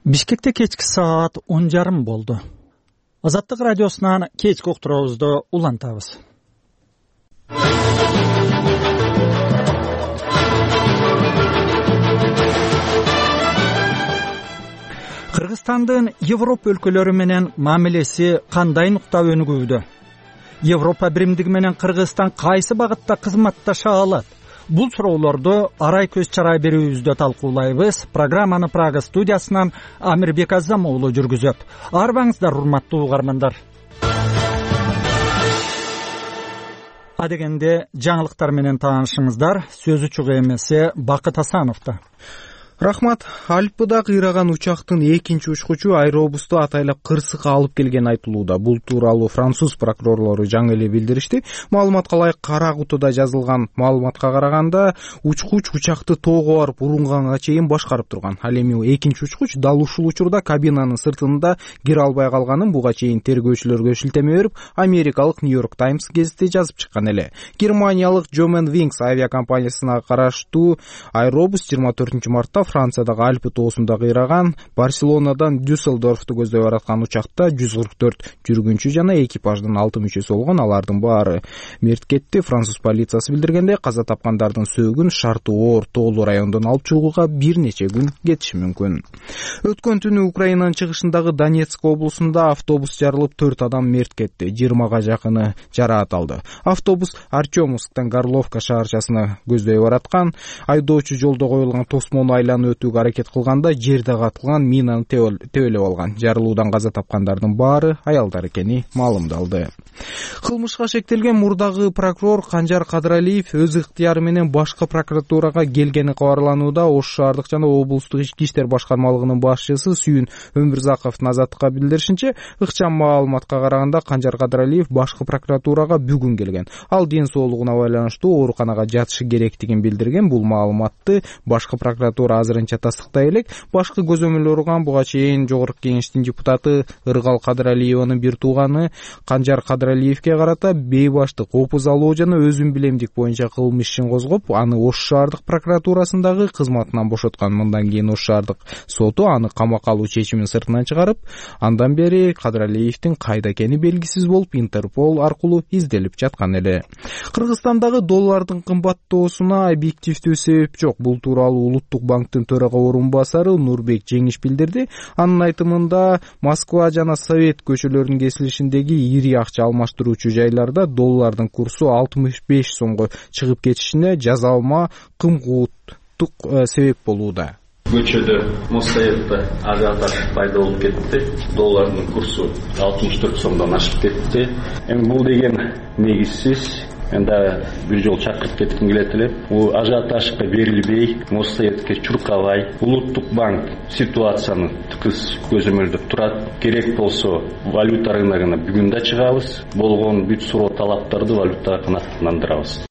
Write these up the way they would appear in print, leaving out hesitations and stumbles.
Бишкекте кечки саат 10:30 болду. Азаттык радиосунан кечки уктуруубузду улантабыз. Кыргызстандын Европа өлкөлөрү менен мамилеси кандай нукта өнүгүүдө? Европа биримдиги менен Кыргызстан кайсы багытта кызматташа алат? Бул суроолорду арай көз чарай берүүбүздө талкуулайбыз. Программаны Прага студиясынан Амирбек Азам уулу жүргүзөт. Арбаңыздар, урматтуу угармандар. Адегенде жаңылыктар менен таанышыңыздар. Сөзү чуга эмеси Бакыт Асановдо. Рахмат. Альпыда кыйраган учактын экинчи учкучу аэробусту атайлап Кырсыкка алып келгени айтылууда. Бул тууралуу француз прокурорлору жаңы эле билдиришти. Маалыматка ылайык Кара кутуда жазылган маалыматка караганда, учкуч учакты тоого барып урунганга чейин башкарып турган. Ал эми экинчи учкуч дал ушул учурда кабинанын сыртында кире албай калганын буга чейин тергөөчүлөргө шилтеме берип, америкалык Нью-Йорк Таймс гезити жазып чыккан эле. Германиялык Germanwings авиакомпаниясына караштуу аэробус 24 мартта Франциядагы Альпы тоосунда кыйраган. Барселонадан Дюссельдорфту көздөй бараткан учакта 144 жүргүнчү жана экипаждын 6 мүчөсү болгон. Алардын баары мерт кетти. Француз полициясы билдиргенде, каза тапкандардын сөөгүн шарты оор тоолуу райондон алып чыгууга бир нече күн кетиши мүмкүн. Өткөн түнү Украинанын чыгышындагы Донецк облусунда автобус жарылып 4 адам мерт кетти. 20га жакыны жараат алды. Автобус Артемовсктан Горловка шаарчасына көздөй бараткан. Айдоочу жолдо коюлган тосмону айланып өтүүгө аракет кылганда жерде катылган минаны тебелеп алган. Жарылуудан каза тапкандардын баары аялдар экени маалымдалды. Кылмышка шектелген мурдагы прокурор Канжар Кадыралиев өз ыктыяры менен башкы прокуратурага келгени кабарланууда. Ош шаардык жана облустук ички иштер башкармалыгынын башчысы Сүйүн Өмүрзаковдун Азаттыкка билдиришинче, ыкчам маалыматка караганда Канжар Кадыралиев башкы прокуратурага бүгүн келген. Ал ден соолугуна байланыштуу ооруканага жатышы керектигин билдирген. Бул маалыматты башкы прокуратура азырынча тастыктай элек. Башкы көзөмөл орган буга чейин Жогорку Кеңештин депутаты Ыргал Кадыралиеванын бир тууганы Канжар Кадыралиевке карата бейбаштык, опуз алуу жана өзүн билемдик боюнча кылмыш ишин козгоп, аны Ош шаардык прокуратурасындагы кызматынан бошоткан. Мындан кийин Ош шаардык соту аны камакка алуу чечимин сыртынан чыгарып, андан бери Кадыралиевдин кайда экени белгисиз болуп, Интерпол аркылуу изделип жаткан эле. Кыргызстандагы доллардын кымбаттоосуна объективдүү себеп жок. Бул тууралуу Улуттук банктын төрага орун басары Нурбек Жеңиш билдирди. Анын айтымында, Москва жана Совет көчөлөрүнүн кесилишиндеги ири акча алмаштыруучу жайларда доллардын курсу 65 сомго чыгып кетишине жазалма кымгууттук себеп болууда. Көчөдө Моссоветте ажиотаж пайда болуп кетти. Доллардын курсу 64 сомдон ашып кетти. Эми бул деген негизсиз. Энди бир жол чакырып кетким келет эле. Бул ажиотажга берилбей, Моссоветке чуркабай, Улуттук банк ситуацияны тыкыз көзөмөлдөп турат. Керек болсо валюта рыногуна бүгүн да чыгабыз. Болгон бүт суроо талаптарды валюта канааттандырабыз.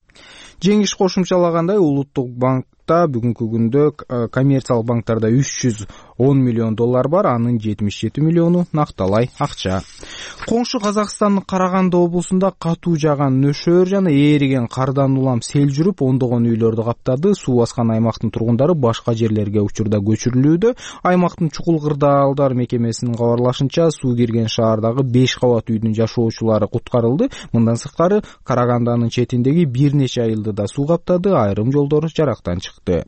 Жеңиш кошумчалагандай, Улуттук банкта бүгүнкү күндө коммерциялык банктарда 310 миллион доллар бар, анын 77 миллиону накталай акча. Коңшу Казакстандын Караганды облусунда катуу жааган нөшөр жана ээриген кардан улам сел жүрүп, ондогон үйлөрдү каптады. Суу баскан аймактын тургундары башка жерлерге учурда көчүрүлүүдө. Аймактын чукул кырдаалдар мекемесинин кабарлашынча, суу кирген шаардагы 5 кабат үйдүн жашоочулары куткарылды. Мындан сырткары Карагандынын четиндеги бир нече айылды да суу каптады, айрым жолдор жарактан чыкты.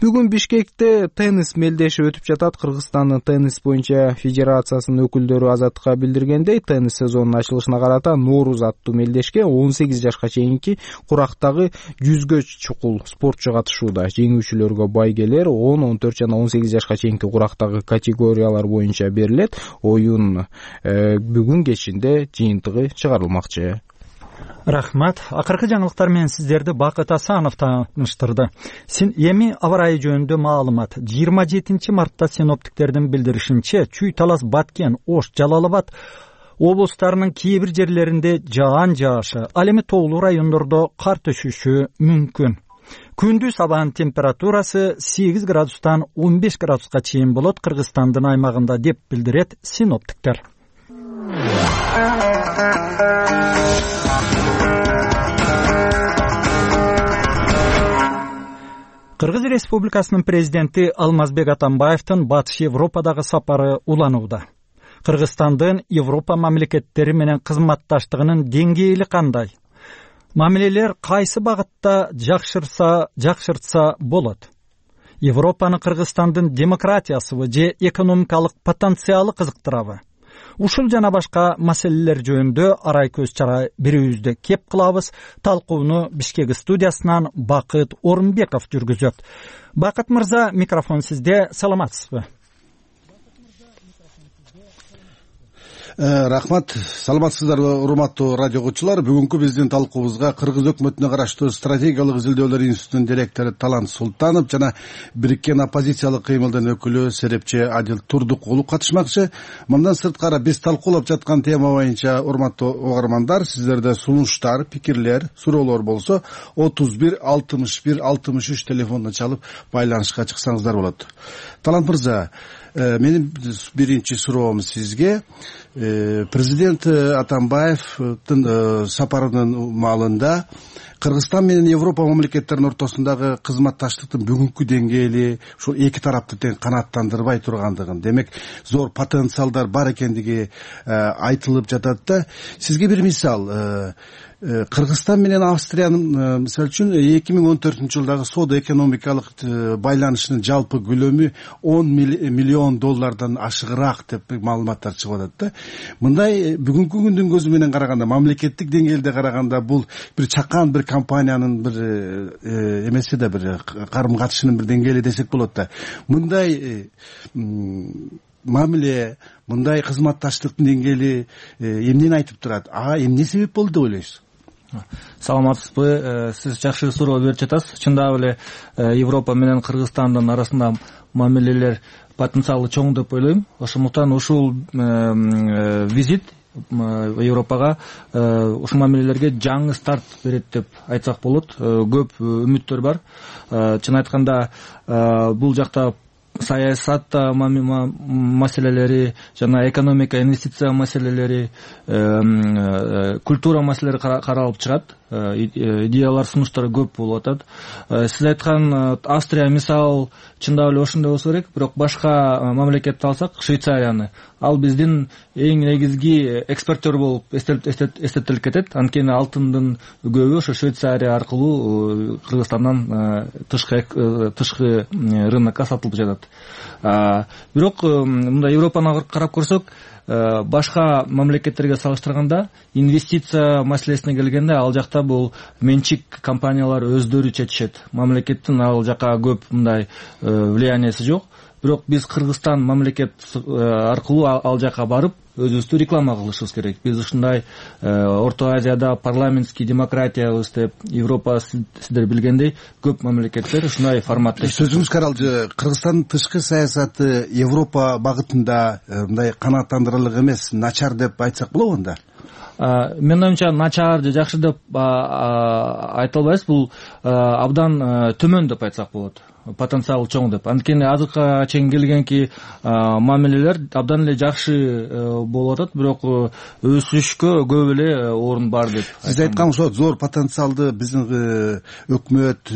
Бүгүн Бишкекте теннис мелдеши өтүп жатат. Кыргызстандын теннис боюнча федерациясынын өкүлдөрү Азаттыкка билдиргендей, теннис сезонунун ачылышына карата Нооруз аттуу мелдешке 18 жашка чейинки курактагы 100гө чукул спортчу катышууда. Жеңүүчүлөргө байгелер 10, 14 жана 18 жашка чейинки курактагы категориялар боюнча берилет. Оюн бүгүн кечинде жыйынтыгы чыгарылмакчы. Рахмат. Акыркы жаңылыктар менен сиздерди Бакыт Асанов тааныштырды. Эми аба ырайы жөнүндө маалымат. 27 мартта синоптиктердин билдиришинче, Чүй, Талас, Баткен, Ош, Жалал-Абад облустарынын кээ бир жерлеринде жаан жаашы, ал эми тоолуу райондордо кар түшүшү мүмкүн. Күндүз абанын температурасы 8 градустан 15 градуска чейин болот Кыргызстандын аймагында, деп билдирет синоптиктер. Кыргыз Республикасынын президенти Алмазбек Атамбаевдин Батыш Европадагы сапары уланууда. Кыргызстандын Европа мамлекеттери менен кызматташтыгынын деңгээли кандай? Мамилелер кайсы багытта жакшыртса болот? Европаны Кыргызстандын демократиясыбы же экономикалык потенциалы кызыктырабы? Ушул жана башка маселелер жөнүндө арай көз чара берүүбүздө кеп кылабыз. Талкууну Бишкек студиясынан Бакыт Орунбеков жүргүзөт. Бакыт мырза, микрофон сизде. Саламатсызбы? Рахмат. Саламатсыздарбы, урматтуу радио угуучулар. Бүгүнкү биздин талкуубузга Кыргыз өкмөтүнө караштуу стратегиялык изилдөөлөр институтунун директору Талант Султанов жана Бириккен оппозициялык кыймылдын өкүлү серепчи Адил Турдукулов катышмакчы. Мындан сырткары биз талкуулап жаткан тема боюнча, урматтуу угармандар, сиздерде сунуштар, пикирлер, суроолор болсо 31 61 63 телефонуна чалып байланышка чыксаңыздар болот. Талант мырза, менин биринчи суроом сизге. Президент Атамбаевдин сапарынын маалында Кыргызстан менен Европа мамлекеттеринин ортосундагы кызматташтыктын бүгүнкү деңгээли ушул эки тарапты тең канааттандырбай тургандыгын, демек зор потенциалдар бар экендиги айтылып жатат да. Сизге бир мисал, Кыргызстан менен Австриянын мисалы үчүн 2014 жылдагы соода экономикалык байланышынын жалпы көлөмү 10 миллион доллардан ашыгыраак деп маалыматтар чыгып атат да. Мындай бүгүнкү күндүн көзү менен караганда, мамлекеттик деңгээлде караганда, бул бир чакан бир компаниянын бир эмеси да, бир карым катышынын бир деңгээли десек болот да. Мындай мамиле, мындай кызматташтыктын деңгээли эмнени айтып турат? Эмне себеп болду деп ойлойсуз? Саламатсызбы? Сиз жакшы суроо берип жатасыз. Чындап эле Европа менен Кыргызстандын арасында мамилелер потенциалы чоң деп ойлойм. Ошондуктан ушул визит Европага ушул мамилелерге жаңы старт берет деп айтсак болот. Көп үмүттөр бар. Чын айтканда, бул жакта саясат маселелери жана экономика, инвестиция маселелери, культура маселелери каралып чыгат. Идеялар, сунуштар көп болуп атат. Сиз айткан Австрия мисал чындап эле ошондой болсо керек, бирок башка мамлекетти алсак, Швейцарияны, ал биздин эң негизги экспортер болуп эстетилип кетет. Анткени алтындын көбү ошо Швейцария аркылуу Кыргызстандан тышкы рынокко сатылып жатат. Бирок мындай Европаны карап көрсөк, башка мамлекеттерге салыштырганда инвестиция маселесине келгенде, ал жакта бул менчик компаниялар өздөрү чечишет. Мамлекеттин ал жака көп мындай влияниясы жок. Бирок биз Кыргызстан мамлекет аркылуу ал жака барып өзүбүздү реклама кылышыбыз керек. Биз ушундай Орто Азияда парламентский демократиябыз деп, Европа сиздер билгендей көп мамлекеттер ушундай форматта. Сөзүңүз каралды, Кыргызстандын тышкы саясаты Европа багытында мындай канааттандырарлык эмес, начар деп айтсак болобу анда? Менин оюмча начар же жакшы деп айта албайбыз. Бул абдан төмөн деп айтсак болот. Потенциал чоң деп. Анткени азыркыга чейин келгенки мамилелер абдан эле жакшы болуп атат, бирок өсүшкө көп эле орун бар деп. Сиз айткан ошо зор потенциалды биздин өкмөт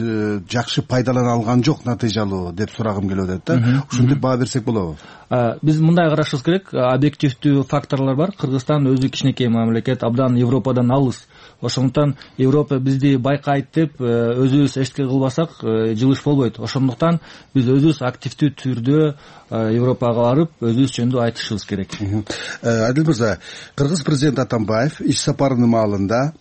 жакшы пайдалана алган жок, натыйжалуу деп сурагым келип атат да. Ушинтип баа берсек болобу? Биз мындай карашыбыз керек. Объективдүү факторлор бар. Кыргызстан өзү кичинекей мамлекет, абдан Европадан алыс. Ошондуктан Европа бизди байкайт деп өзүбүз эчтеке кылбасак жылыш болбойт. Ошондуктан биз өзүбүз активдүү түрдө Европага барып, өзүбүз жөнүндө айтышыбыз керек. Адил мырза, Кыргыз президенти Атамбаев иш сапарынын маалында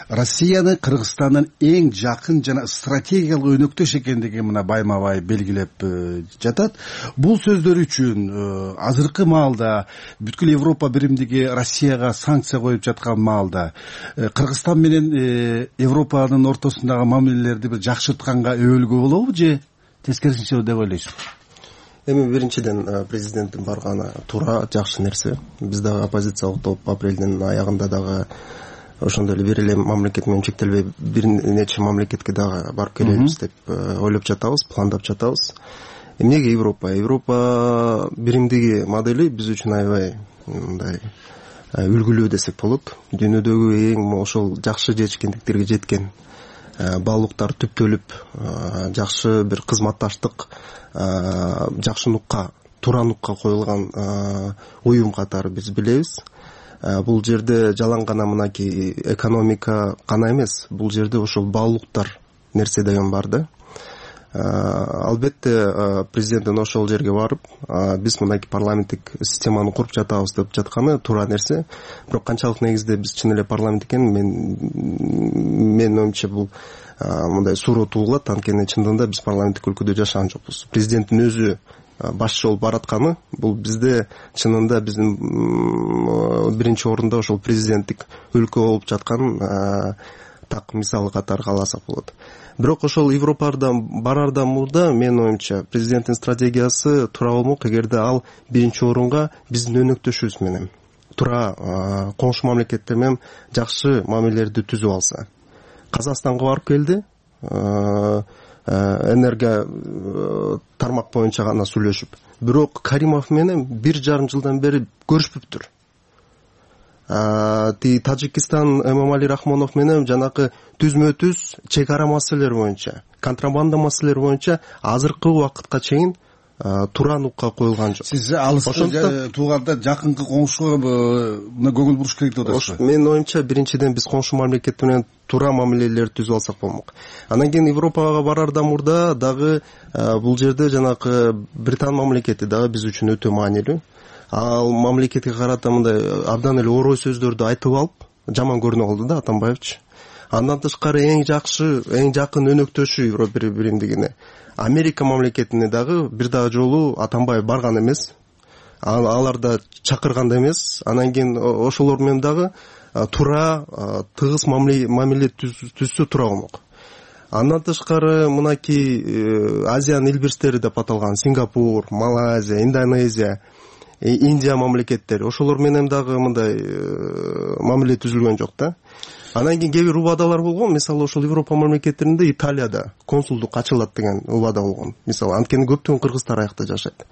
Россияны Кыргызстандын эң жакын жана стратегиялык өнөктөш экендиги мына байма-бай белгилеп жатат. Бул сөздөр үчүн азыркы маалда бүткүл Европа биримдиги Россияга санкция коюп жаткан маалда Кыргызстан менен Европанын ортосундагы мамилелерди бир жакшыртканга өбөлгө болобу же тескерисинче деп ойлойсузбу? Эми биринчиден президенттин барганы туура, жакшы нерсе. Биз дагы оппозициялык топ апрелдин аягында дагы ошондой эле бир эле мамлекет менен чектелбей бир нече мамлекетке дагы барып келебиз деп ойлоп жатабыз, пландап жатабыз. Эмнеге Европа? Европа биримдиги модели биз үчүн аябай мындай үлгүлүү десек болот. Дүйнөдөгү эң ошол жакшы жетишкендиктерге жеткен баалуулуктар түптөлүп жакшы бир кызматташтык, жакшы нукка, туура нукка коюлган уюм катары биз билебиз. Бул жерде жалаң гана мынакей экономика гана эмес, бул жерде ошол баалуулуктар нерсе деген бар да. Албетте президенттин ошол жерге барып, биз мынакей парламенттик системаны куруп жатабыз деп жатканы туура нерсе. Бирок канчалык негизде биз чын эле парламент экенин мен оюмча бул мындай суроо туулат. Анткени чындыгында биз парламенттик өлкөдө жашаган жокпуз. Президенттин өзү башчы болуп баратканы бул бизде чынында биздин биринчи орунда ошол президенттик өлкө болуп жаткан так мисалы катары кааласак болот. Бирок ошол Европадан барардан мурда менин оюмча президенттин стратегиясы туура болмок, эгерде ал биринчи орунга биздин өнөктөшүбүз менен туура коңшу мамлекеттер менен жакшы мамилелерди түзүп алса. Казакстанга барып келди, энерго тармак боюнча гана сүйлөшүп. Бирок Каримов менен 1,5 жылдан бери көрүшпөптүр. Тажикстан Эмомали Рахмонов менен жанакы түзмө-түз чек ара маселелери боюнча, контрабанда маселелери боюнча азыркы убакытка чейин туура нукка коюлган жок. Сиз алыскы тууганда жакынкы коңшуга көңүл буруш керек деп атасыз. Менин оюмча биринчиден биз коңшу мамлекет менен туура мамилелерди түзүп алсак болмок. Андан кийин Европага барардан мурда дагы бул жерде жанакы Британ мамлекети дагы биз үчүн өтө маанилүү. Ал мамлекетке карата мындай абдан эле орой сөздөрдү айтып алып, жаман көрүнө калды да Атамбаевич. Андан тышкары эң жакын өнөктөшү Европа биримдигине Америка мамлекетине дагы бир дагы жолу Атамбаев барган эмес. Алар да чакырган да эмес. Андан кийин ошолор менен дагы туура тыгыз мамиле түзсө туура болмок. Андан тышкары мынакей Азиянын эл бирстери деп аталган Сингапур, Малайзия, Индонезия, Индия мамлекеттери ошолор менен дагы мындай мамиле түзүлгөн жок да. Андан кийин кээ бир убадалар болгон. Мисалы ошол Европа мамлекеттеринде Италияда консулдук ачылат деген убада болгон. Мисалы анткени көптөгөн кыргыздар аякта жашайт.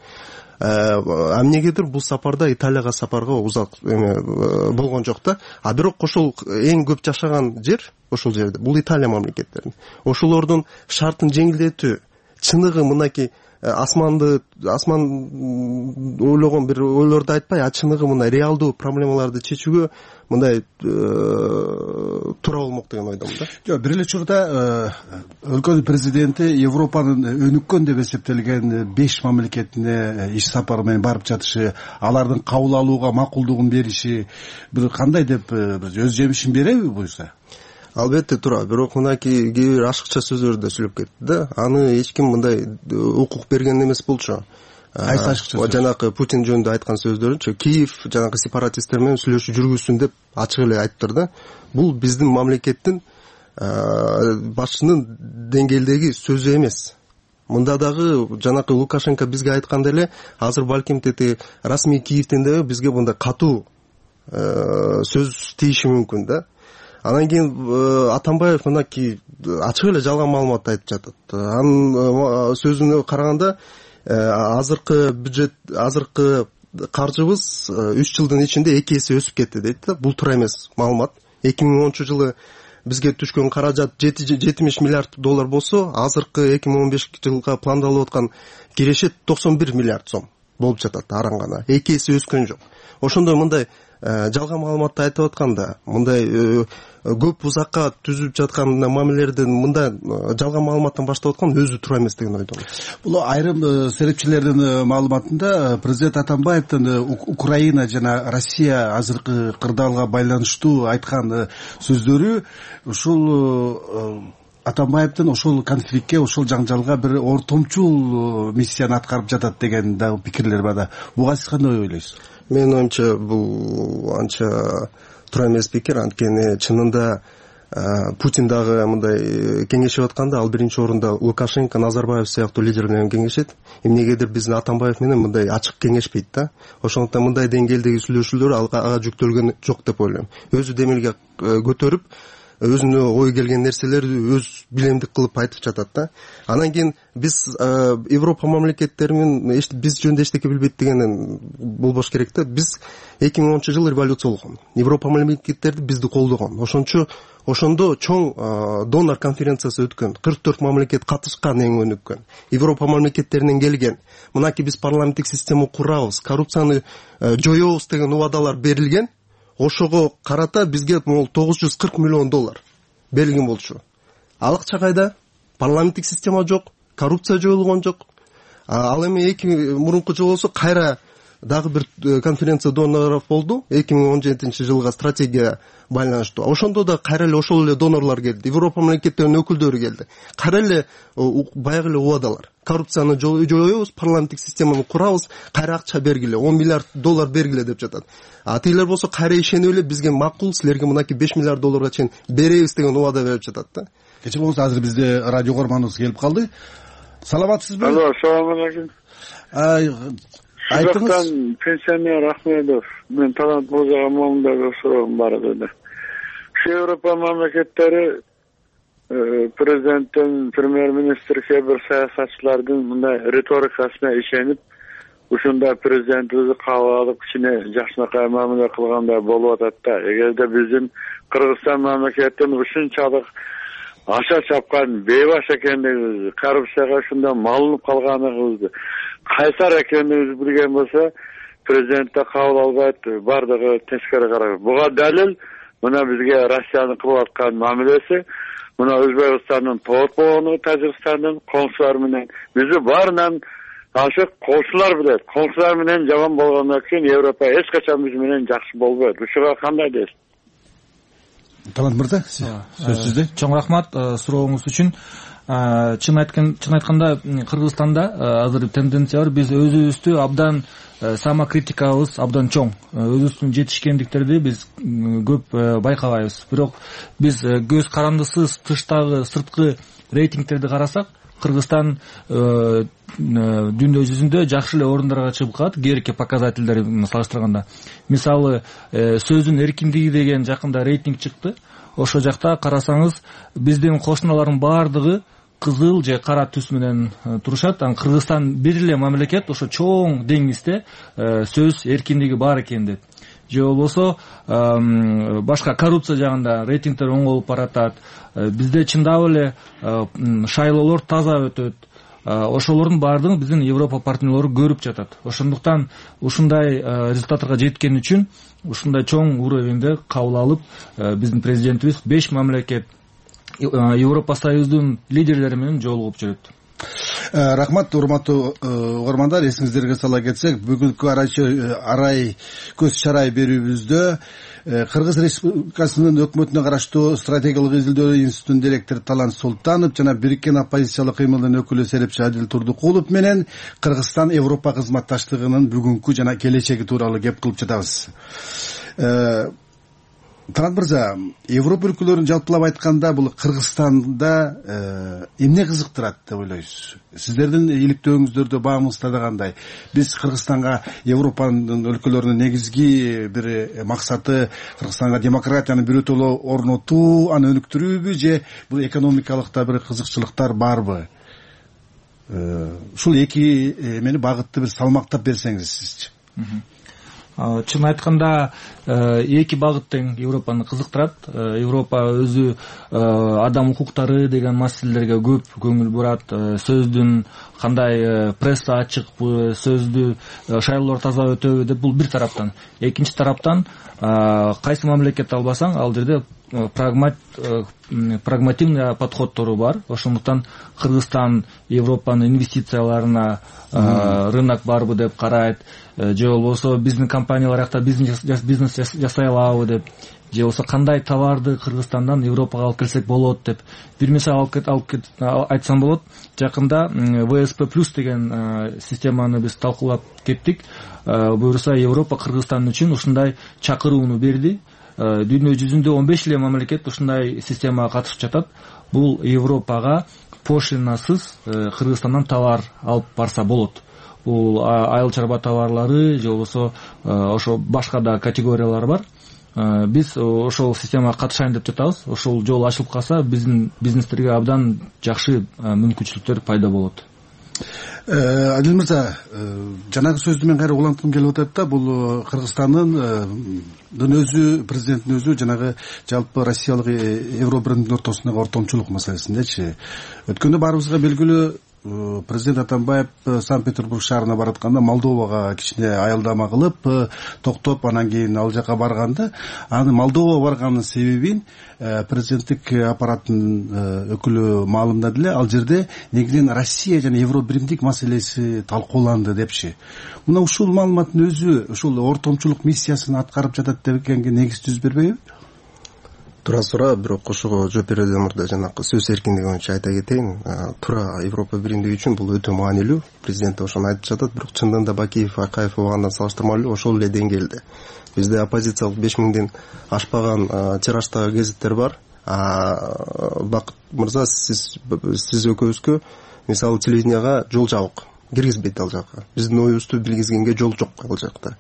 Эмнегедир бул сапарда Италияга сапарга узак болгон жок да. Бирок ошол эң көп жашаган жер ошол жерде. Бул Италия мамлекеттери. Ошолордун шартын жеңилдетүү чыныгы мынакей асман ойлогон бир ойлорду айтпай, чыныгы мындай реалдуу проблемаларды чечүүгө мындай туура болмок деген ойдомун да. Жок, бир эле учурда өлкөнүн президенти Европанын өнүккөн деп эсептелген 5 мамлекетине иш сапары менен барып жатышы, алардын кабыл алууга макулдугун бериши бир кандай деп өз жемишин береби буюрса? Албетте туура, бирок мынакей кээ бир ашыкча сөздөрдү да сүйлөп кетти да. Аны эч ким мындай укук берген эмес болчу. Кайсы ашыкча сөз? Жанакы Путин жөнүндө айткан сөздөрүнчө Киев жанакы сепаратисттер менен сүйлөшүү жүргүзсүн деп ачык эле айтыптыр да. Бул биздин мамлекеттин башчынын деңгээлдеги сөзү эмес. Мында дагы жанакы Лукашенко бизге айткандай эле, азыр балким тети расмий Киевден дагы бизге мындай катуу сөз тийиши мүмкүн да. Андан кийин Атамбаев мынакей ачык эле жалган маалымат айтып жатат. Анын сөзүнө караганда азыркы бюджет, азыркы каржыбыз 3 жылдын ичинде 2 эсе өсүп кетти дейт да. Бул туура эмес маалымат. 2010-жылы бизге түшкөн каражат 70 миллиард доллар болсо, азыркы 2015 жылга пландалып аткан кирешет 91 миллиард сом болуп жатат араңгана. 2 эсе өскөн жок. Ошондой мындай жалган маалыматты айтып атканда, мындай көп узакка түзүп жаткан мамилелерден мындай жалган маалыматтан баштап аткан өзү туура эмес деген ойдомун. Бул айрым серепчилердин маалыматында президент Атамбаевдин Украина жана Россия азыркы кырдаалга байланыштуу айткан сөздөрү ушул Атамбаевдин ошол конфликтке, ошол жаңжалга бир ортомчул миссияны аткарып жатат деген да пикирлер бар да. Буга сиз кандай ойлойсуз? Менин оюмча бул анча туура эмес пикир. Анткени чынында Путин дагы мындай кеңешип атканда, ал биринчи орунда Лукашенко, Назарбаев сыяктуу лидерлер менен кеңешет. Эмнегедир биздин Атамбаев менен мындай ачык кеңешпейт да. Ошондуктан мындай деңгээлдеги сүйлөшүүлөр ага жүктөлгөн жок деп ойлойм. Өзү демилге көтөрүп өзүнө ой келген нерселерди өз билемдик кылып айтып жатат да. Анан кийин биз Европа мамлекеттери менен биз жөнүндө эчтеке билбейт деген болбош керек да. Биз 2010-жылы революция болгон. Европа мамлекеттерди бизди колдогон. Ошондо чоң донор конференциясы өткөн. 44 мамлекет катышкан, эң өнүккөн. Европа мамлекеттеринен келген. Мынакей биз парламенттик система курабыз, коррупцияны жоёбуз деген убадалар берилген. Ошого карата бизге $940 миллион берилген болчу. Ал акча кайда? Парламенттик система жок, коррупция жоюлгон жок. Ал эми мурунку жыл болсо кайра дагы бир конференция донорлор болду. 2017-жылга стратегия байланыштуу. Ошондо да кайра эле ошол эле донорлор келди. Европа мамлекеттеринин өкүлдөрү келди. Кайра эле баягы эле убадалар. Коррупцияны жоюбуз, парламенттик системаны курабыз, кайра акча бергиле, $10 миллиард бергиле деп жатат. Тилер болсо кайра ишенип эле бизге макул, силерге мынакей $5 миллиард чейин беребиз деген убада берип жатат да. Кечээ болсо азыр бизде радио көрманыбыз келип калды. Саламатсызбы? Алло, салам алейкум. Айтыңыз. Пенсионер Ахмедов. Мен Талант Мырзага моундай суроом бар edi. Европа мамлекеттери президенттин, премьер-министр, кээ бир саясатчылардын мындай риторикасына ишенип, ушундай президентибизди кабыл алып, кичине жакшынакай мамиле кылгандай болуп атат да. Эгерде биздин Кыргызстан мамлекетинин ушунчалык аша чапкан бейбаш экендигибизди, коррупцияга ушундай малынып калганыбызды, кайсар экендигибизди билген болсо, президентте кабыл албайт, бардыгы тескери карайт. Буга далил мына бизге Россиянын кылып аткан мамилеси, мына Өзбекстандын тоотпогону, Тажикстандын коңшулары менен бизди баарынан ошо коңшулар билет. Коңшулар менен жаман болгондон кийин Европа эч качан биз менен жакшы болбойт. Ушуга кандай дейсиз? Талант мырза, сөз сизде. Чоң рахмат сурооңуз үчүн. Чын айтканда Кыргызстанда азыр тенденция бар. Биз өзүбүздү абдан самокритикабыз абдан чоң. Өзүбүздүн жетишкендиктерди биз көп байкабайбыз. Бирок биз көз карандысыз тыштагы сырткы рейтингтерди карасак, Кыргызстан дүйнө жүзүндө жакшы эле орундарга чыгып калат, кээрки показательдери салыштырганда. Мисалы, сөздүн эркиндиги деген жакында рейтинг чыкты. Ошол жакта карасаңыз, биздин кошуналардын баардыгы кызыл же кара түс менен турушат. Кыргызстан бир эле мамлекет ошо чоң деңизде сөз эркиндиги бар экен дейт. Же болбосо башка коррупция жагында рейтингдер оң болуп баратат. Бизде чындап эле шайлоолор таза өтөт. Ошолордун баардыгын биздин Европа партнерлору көрүп жатат. Ошондуктан ушундай результаттарга жеткен үчүн ушундай чоң уровеньде кабыл алып, биздин президентибиз 5 мамлекет Европа Союзунун лидерлери менен жолугуп жүрөт. Рахмат, урматтуу угармандар, эсиңиздерге сала кетсек, бүгүнкү арай көз чарай берүүбүздө Кыргыз Республикасынын өкмөтүнө караштуу стратегиялык изилдөө институтунун директору Талант Султанов жана бириккен оппозициялык кыймылдын өкүлү Серепчи Адил Турдукулов менен Кыргызстан Европа кызматташтыгынын бүгүнкү жана келечеги тууралуу кеп кылып жатабыз. Талант мырза, Европа өлкөлөрүн жалпылап айтканда бул Кыргызстанда эмне кызыктырат деп ойлойсуз? Сиздердин иликтөөңүздөрдө баамыңызда кандай? Биз Кыргызстанга Европанын өлкөлөрүнүн негизги бир максаты Кыргызстанга демократияны бирөтөлө орнотуу, аны өнүктүрүүбү же бул экономикалык да бир кызыкчылыктар барбы? Ушул эки эмени багытты бир салмактап берсеңиз сизчи. Чын айтканда эки багыт тең Европаны кызыктырат. Европа өзү адам укуктары деген маселелерге көп көңүл бурат. Сөздүн кандай пресса ачыкпы, сөздү шайлоолор таза өтөбү деп бул бир тараптан. Экинчи тараптан кайсы мамлекетти албасаң, ал жерде прагмативный подходтору бар. Ошондуктан Кыргызстан Европанын инвестицияларына рынок барбы деп карайт, же болбосо биздин компаниялар жакта бизнес жасай алабы деп, же болбосо кандай товарды Кыргызстандан Европага алып келсек болот деп. Бир мисал айтсам болот. Жакында ВСП плюс деген системаны биз талкуулап кеттик. Буюрса Европа Кыргызстан үчүн ушундай чакырууну берди. Дүйнө жүзүндө 15 эле мамлекет ушундай системага катышып жатат. Бул Европага пошлинасыз Кыргызстандан товар алып барса болот. Бул айыл чарба товарлары же болбосо ошо башка да категориялар бар. биз ошол системага катышайын деп жатабыз. Ошол жол ачылып калса, биздин бизнестерге абдан жакшы мүмкүнчүлүктөр пайда болот. Адил мырза, жанагы сөздү мен кайра уланткым келип атат да, бул Кыргызстандын өзү, президенттин өзү жанагы жалпы Россиялык Евробирдин ортосундагы ортомчулук маселесиндечи. Өткөндө баарыбызга белгилүү президент Атамбаев Санкт-Петербург шаарына баратканда Молдовага кичине аялдама кылып токтоп, анан кийин ал жака барганда, аны Молдовага барганын себебин президенттик аппараттын өкүлү маалымдады эле. Ал жерде негизинен Россия жана Евробирдик маселеси талкууланды депчи. Мына ушул маалыматтын өзү ушул ортомчулук миссиясын аткарып жатат дегенге негиз түз бербейби? Туура, бирок ошого жооп берүүдөн мурда жанагы сөз эркиндиги боюнча айта кетейин. Туура, Европа биримдиги үчүн бул өтө маанилүү. Президент ошону айтып жатат, бирок чындыгында Бакиев, Акаев огандан салыштырмалуу ошол эле деңгээлде. Бизде оппозициялык 5000ден ашпаган тираштагы гезиттер бар. Бакыт мырза, сиз экөөбүзгө мисалы телевиденияга жол жабык, киргизбейт ал жака. Биздин оюбузду билгизгенге жол жок ал жакта.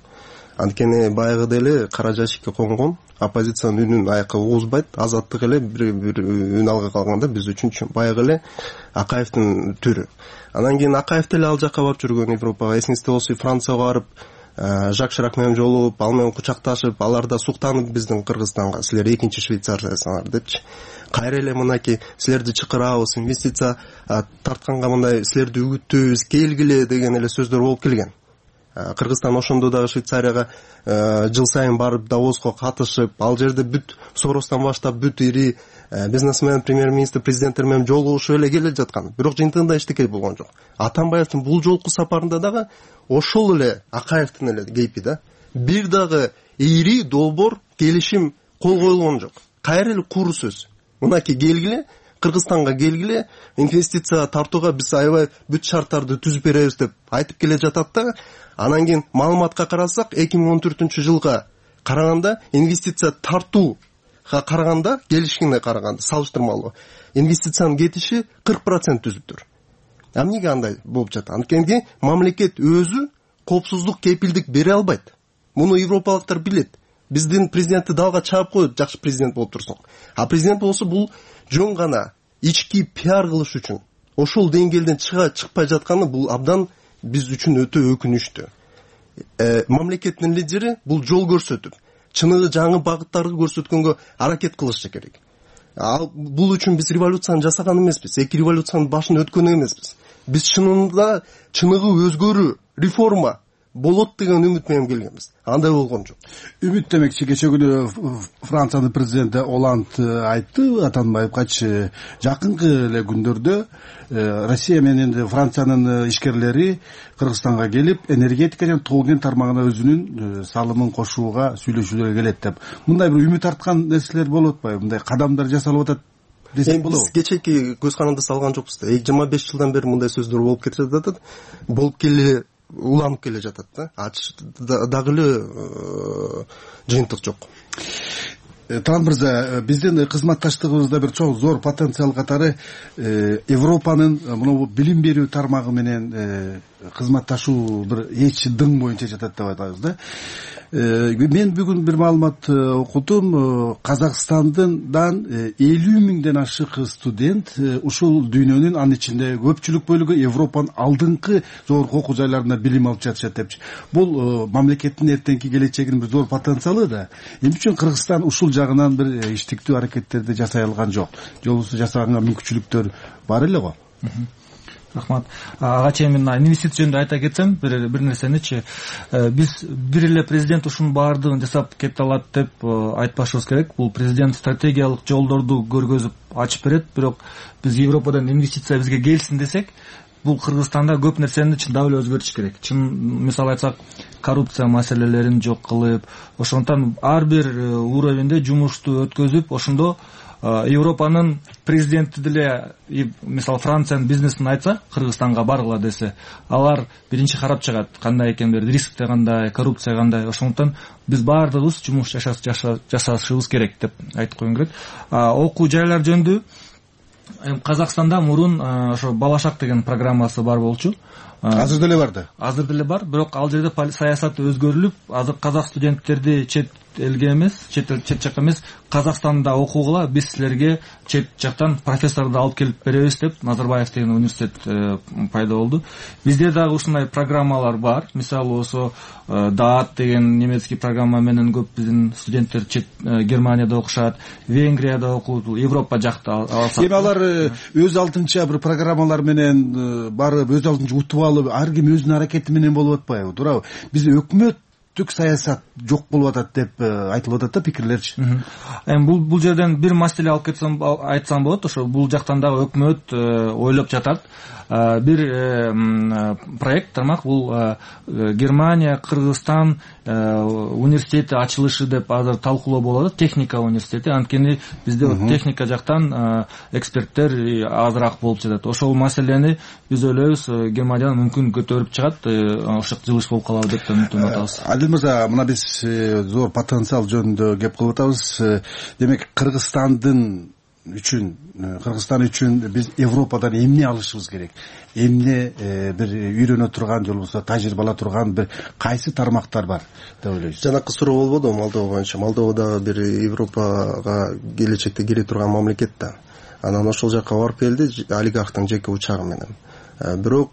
Анткени баягыда эле кара жашикке конгон, оппозициянын үнүн аякка угузбайт, азаттык эле бир үн алга калганда биз үчүн баягы эле Акаевдин түрү. Анан кийин Акаев деле ал жака барып жүргөн, Европага, эсиңизде болсо Францияга барып, Жак Ширак менен жолугуп, ал менен кучакташып, алар да суктанып биздин Кыргызстанга, силер экинчи Швейцариясыңар депчи. Кайра эле мынакей силерди чакырабыз, инвестиция тартканга мындай силерди үгүттөйбүз, келгиле деген эле сөздөр болуп келген. Кыргызстан ошондо дагы Швейцарияга жыл сайын барып Давоско катышып, ал жерде бүт Соростон баштап бүт ири бизнесмен, премьер-министр, президенттер менен жолугушуп эле келе жаткан. Бирок жыйынтыгында эчтеке болгон жок. Атамбаевдин бул жолку сапарында дагы ошол эле Акаевдин эле кейпи да. Бир дагы ири долбоор келишим кол коюлгон жок. Кайра эле куру сөз. Мынакей келгиле, Кыргызстанга келгиле, инвестиция тартууга биз аябай бүт шарттарды түзүп беребиз деп айтып келе жатат да. Анан кийин маалыматка карасак, 2014-жылга караганда инвестиция тартууга караганда, келишимге караганда салыштырмалуу инвестициянын кетиши 40% түзүптүр. Эмнеге андай болуп жатат? Анткени мамлекет өзү коопсуздук кепилдик бере албайт. Муну европалыктар билет. Биздин президентти далга чаап коет, жакшы президент болуп турсуң. А президент болсо бул жөн гана ички пиар кылыш үчүн ошол деңгээлден чыкпай жатканы бул абдан биз үчүн өтө өкүнүчтүү. Мамлекеттин лидери бул жол көрсөтүп, чыныгы жаңы багыттарды көрсөткөнгө аракет кылышы керек. Бул үчүн биз революцияны жасаган эмеспиз, эки революциянын башын өткөн эмеспиз. Биз чынында чыныгы өзгөрүү, реформа болот деген үмүт менен келгенбиз. Андай болгон жок. Үмүт демекчи, кече күнү Франциянын президенти Оланд айтты Атамбаевгачы, жакынкы эле күндөрдө Россия менен Франциянын ишкерлери Кыргызстанга келип, энергетика жана тоо кен тармагына өзүнүн салымын кошууга сүйлөшүүлөргө келет деп. Мындай бир үмүт арткан нерселер болуп атпайбы? Мындай кадамдар жасалып атат десек болобу? Биз кечеки көз каранды салган жокпуз да. 25 жылдан бери мындай сөздөр болуп кетип жатат. Болуп келе уланып келе жатат да. Дагы эле жыйынтык жок. Талант мырза, биздин кызматташтыгыбызда бир чоң зор потенциал катары Европанын мына билим берүү тармагы менен кызматташуу бир эч дың боюнча жатат деп айтабыз да. Мен бүгүн бир маалымат окудум. Казакстандан 50 миңден ашык студент ушул дүйнөнүн, анын ичинде көпчүлүк бөлүгү Европанын алдыңкы жогорку окуу жайларында билим алып жатышат депчи. Бул мамлекеттин эртеңки келечегинин бир зор потенциалы да. Эмне үчүн Кыргызстан ушул жагынан бир иштиктүү аракеттерди жасай алган жок? Жолубузду жасаганга мүмкүнчүлүктөр бар эле го. Рахмат. Ага чейин мен инвестиция жөнүндө айта кетсем, бир нерсеничи, биз бир эле президент ушунун баардыгын жасап кете алат деп айтпашыбыз керек. Бул президент стратегиялык жолдорду көргөзүп ачып берет, бирок биз Европадан инвестиция бизге келсин десек, бул Кыргызстанда көп нерсени чындап эле өзгөртүш керек. Мисалы айтсак, коррупция маселелерин жок кылып, ошондон ар бир уровенде жумушту өткөзүп, ошондо Европанын президенти деле, мисалы Франциянын бизнесин айтса, Кыргызстанга баргыла десе, алар биринчи карап чыгат, кандай экендер, рискте кандай, коррупция кандай. Ошондон биз баардыгыбыз жумуш жасашыбыз керек деп айтып койгум келет. Окуу жайлар жөнүндө Казакстанда мурун ошо Балашак деген программасы бар болчу. Азыр деле бар да. Азыр деле бар, бирок ал жерде саясат өзгөрүлүп, азыр казак студенттерди чет элге эмес, чет жакка эмес, Казакстанда окугула, биз силерге чет жактан профессорду алып келип беребиз деп Назарбаев деген университет пайда болду. Бизде дагы ушундай программалар бар. Мисалы ошо даат деген немецкий программа менен көп биздин студенттер Германияда окушат, Венгрияда окуйт, Европа жакта алсак. Эми алар өз алдынча бир программалар менен барып, өз алдынча утуп алып, ар ким өзүнүн аракети менен болуп атпайбы? Туурабы? Бизде өкмөттүк саясат жок болуп атат деп айтылып атат да пикирлерчи. Эми бул жерден бир маселе алып айтсам болот. Ошо бул жактан дагы өкмөт ойлоп жатат. Бир проект тармак, бул Германия, Кыргызстан университети ачылышы деп азыр талкуулоо болуп атат, техника университети. Анткени бизде техника жактан эксперттер азыраак болуп жатат. Ошол маселени биз ойлойбуз Германиядан мүмкүн көтөрүп чыгат, ошо жылыш болуп калабы деп үмүттөнүп атабыз. Адил мырза, мына биз зор потенциал жөнүндө кеп кылып атабыз. Демек Кыргызстан үчүн биз Европадан эмне алышыбыз керек? Эмне бир үйрөнө турган же болбосо тажрыйба ала турган бир кайсы тармактар бар деп ойлойсуз? Жанакы суроо болбодубу Молдова боюнча? Молдова дагы бир Европага келечекте кире турган мамлекет да. Анан ошол жакка барып келди олигархтын жеке учагы менен. Бирок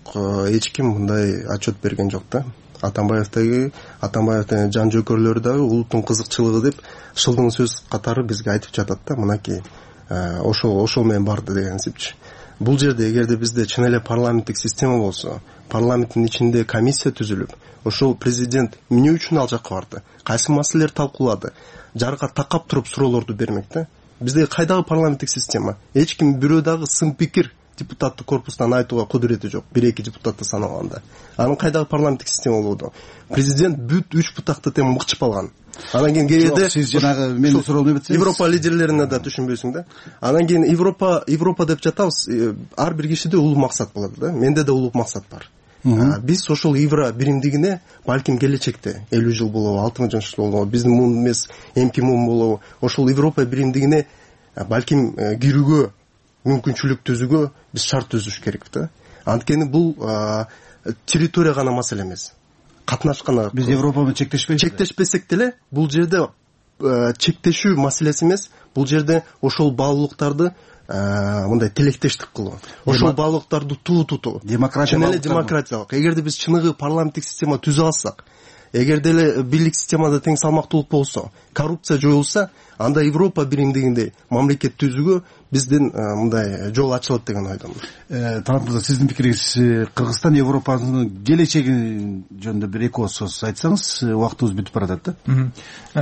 эч ким мындай отчет берген жок да. Атамбаевдин жан жөкөрлөрү дагы улуттун кызыкчылыгы деп шылдың сөз катары бизге айтып жатат да, мынакей ошол менен барды дегенсипчи. Бул жерде эгерде бизде чын эле парламенттик система болсо, парламенттин ичинде комиссия түзүлүп, ошол президент эмне үчүн ал жакка барды, кайсы маселелерди талкуулады, жарга такап туруп суроолорду бермек да. Бизде кайдагы парламенттик система? Эч ким бирөө дагы сын пикир депутаттык корпустан айтууга кудурети жок, 1-2 депутатты санаганда. Анын кайдагы парламенттик система болду? Президент бүт 3 бутакты тең мыкчып алган. Анан кийин кээде сиз жанагы мени суроону бүтсөңүз, Европа лидерлерине да түшүнбөйсүң да. Анан кийин Европа деп жатабыз. Ар бир кишиде улуу максат болот да. Менде да улуу максат бар. Биз ошол евро биримдигине балким келечекте 50 жыл болобу, 60 жыл болобу, биздин муун эмес, эмки муун болобу, ошол Европа биримдигине балким кирүүгө мүмкүнчүлүк түзүүгө биз шарт түзүш керек да. Анткени бул территория гана маселе эмес. Катнашкан биз Европа менен чектешпесек деле, бул жерде чектешүү маселеси эмес, бул жерде ошол баалуулуктарды мындай тилектештик кылуу, ошол баалуулуктарды тутуу, демократиялык. Эгерде биз чыныгы парламенттик система түзө алсак, эгерде эле бийлик системада тең салмактуулук болсо, коррупция жоюлса, анда Европа биримдигиндей мамлекет түзүүгө биздин мындай жол ачылат деген ойдомун. Талант мырза, сиздин пикириңиз, Кыргызстан Европанын келечеги жөнүндө бир эки ооз сөз айтсаңыз, убактыбыз бүтүп баратат да.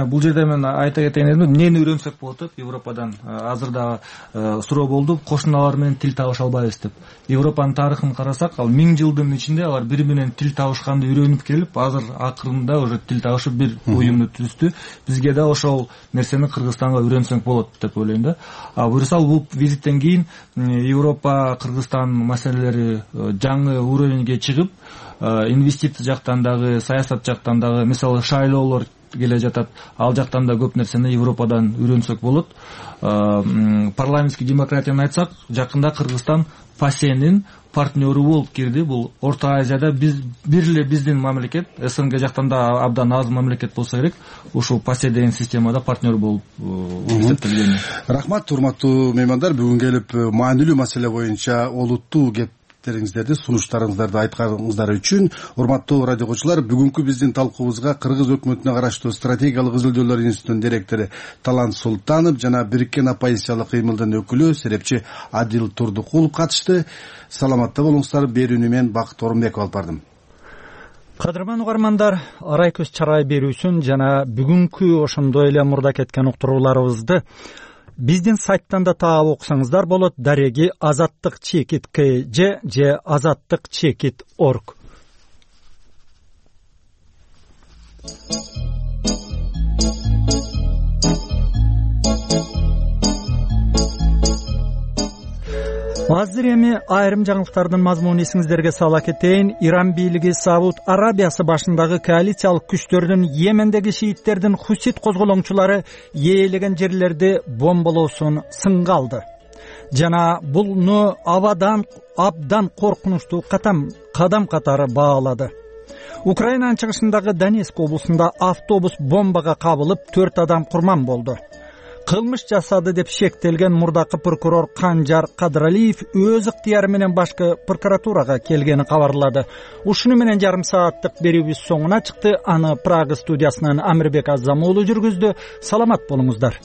Бул жерде мен айта кетейин дедим, эмнени үйрөнсөк болот деп Европадан. Азыр да суроо болду, кошуналар менен тил табыша албайбыз деп. Европанын тарыхын карасак, ал 1000 жылдын ичинде алар бири менен тил табышканды үйрөнүп келип, азыр акырында уже тил табышып бир уюмду түздү. Бизге да ошол нерсени Кыргызстанга үйрөнсөк болот деп ойлойм да. Буюрса бул визиттен кийин Европа, Кыргызстан маселелери жаңы уровеньге чыгып, инвестиция жактан дагы, саясат жактан дагы, мисалы шайлоолор келе жатат, ал жактан да көп нерсени Европадан үйрөнсөк болот. Парламенттик демократияны айтсак, жакында Кыргызстан ФАСЕнин партнеру болуп кирди. Бул Орто Азияда бир эле биздин мамлекет, СНГ жактан да абдан аз мамлекет болсо керек, ушул ФАСЕ деген системада партнер болуп эсептелген. Рахмат, урматтуу меймандар, бүгүн келип маанилүү маселе боюнча олуттуу кептериңиздерди, сунуштарыңыздарды айтканыңыздар үчүн. Урматтуу радио окуучулар, бүгүнкү биздин талкуубузга Кыргыз өкмөтүнө караштуу стратегиялык изилдөөлөр институтунун директору Талант Султанов жана Бириккен оппозициялык кыймылдын өкүлү серепчи Адил Турдукулов катышты. Саламатта болуңуздар. Берүүнү мен Бакыт Орунбеков алып бардым. Кадырман угармандар, арай көз чарай берүүсүн жана бүгүнкү ошондой эле мурда кеткен уктурууларыбызды биздин сайттан да таап окусаңыздар болот. Дареги azattik.kj же azattik.org. Азыр эми айрым жаңылыктардын мазмунун эсиңиздерге сала кетейин. Иран бийлиги Сауд Арабиясы башындагы коалициялык күчтөрдүн Йемендеги шииттердин Хусит козголоңчулары ээлеген жерлерди бомбалоосун сынга алды. Жана буну абдан коркунучтуу кадам катары баалады. Украинанын чыгышындагы Донецк облусунда автобус бомбага кабылып 4 адам курман болду. Кылмыш жасады деп шектелген мурдакы прокурор Канжар Кадыралиев өз ыктыяры менен башкы прокуратурага келгенин кабарлады. Ушуну менен жарым сааттык берүүбүз соңуна чыкты. Аны Прага студиясынан Амирбек Азамуулу жүргүздү. Саламат болуңуздар.